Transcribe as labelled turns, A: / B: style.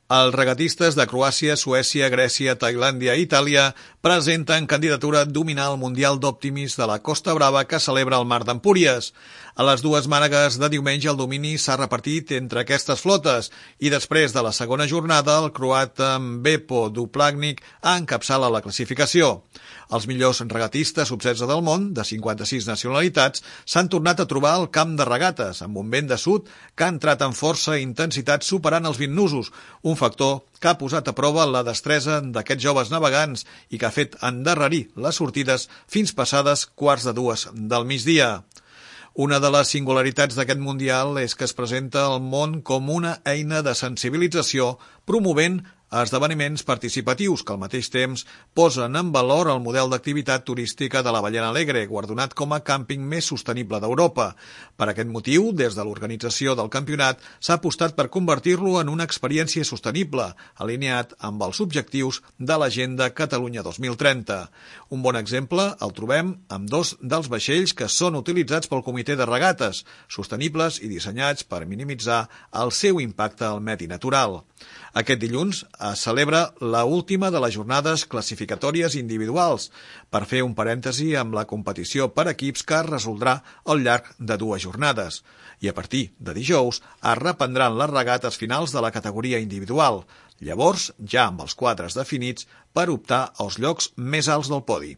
A: Els regatistes de Croàcia, Suècia, Grècia, Tailàndia i Itàlia presenten candidatura a dominar el Mundial d'Òptimis de la Costa Brava que celebra el Mar d'Empúries. A les dues mànegues de diumenge el domini s'ha repartit entre aquestes flotes i després de la segona jornada el croat Bepo Duplagnik encapçala la classificació. Els millors regatistes sub-16 del món, de 56 nacionalitats, s'han tornat a trobar al camp de regates, amb un vent de sud que ha entrat amb força i intensitat superant els 20 nusos, un factor que ha posat a prova la destresa d'aquests joves navegants i que ha fet endarrerir les sortides fins passades quarts de dues del migdia. Una de les singularitats d'aquest Mundial és que es presenta al món com una eina de sensibilització promovent esdeveniments participatius que al mateix temps posen en valor el model d'activitat turística de la Ballena Alegre, guardonat com a càmping més sostenible d'Europa. Per aquest motiu, des de l'organització del campionat, s'ha apostat per convertir-lo en una experiència sostenible, alineat amb els objectius de l'Agenda Catalunya 2030. Un bon exemple el trobem amb dos dels vaixells que són utilitzats pel Comitè de Regates, sostenibles i dissenyats per minimitzar el seu impacte al medi natural. Aquest dilluns es celebra la última de les jornades classificatòries individuals, per fer un parèntesi amb la competició per equips que es resoldrà al llarg de dues jornades. I a partir de dijous es reprendran les regates finals de la categoria individual, llavors ja amb els quadres definits per optar als llocs més alts del podi.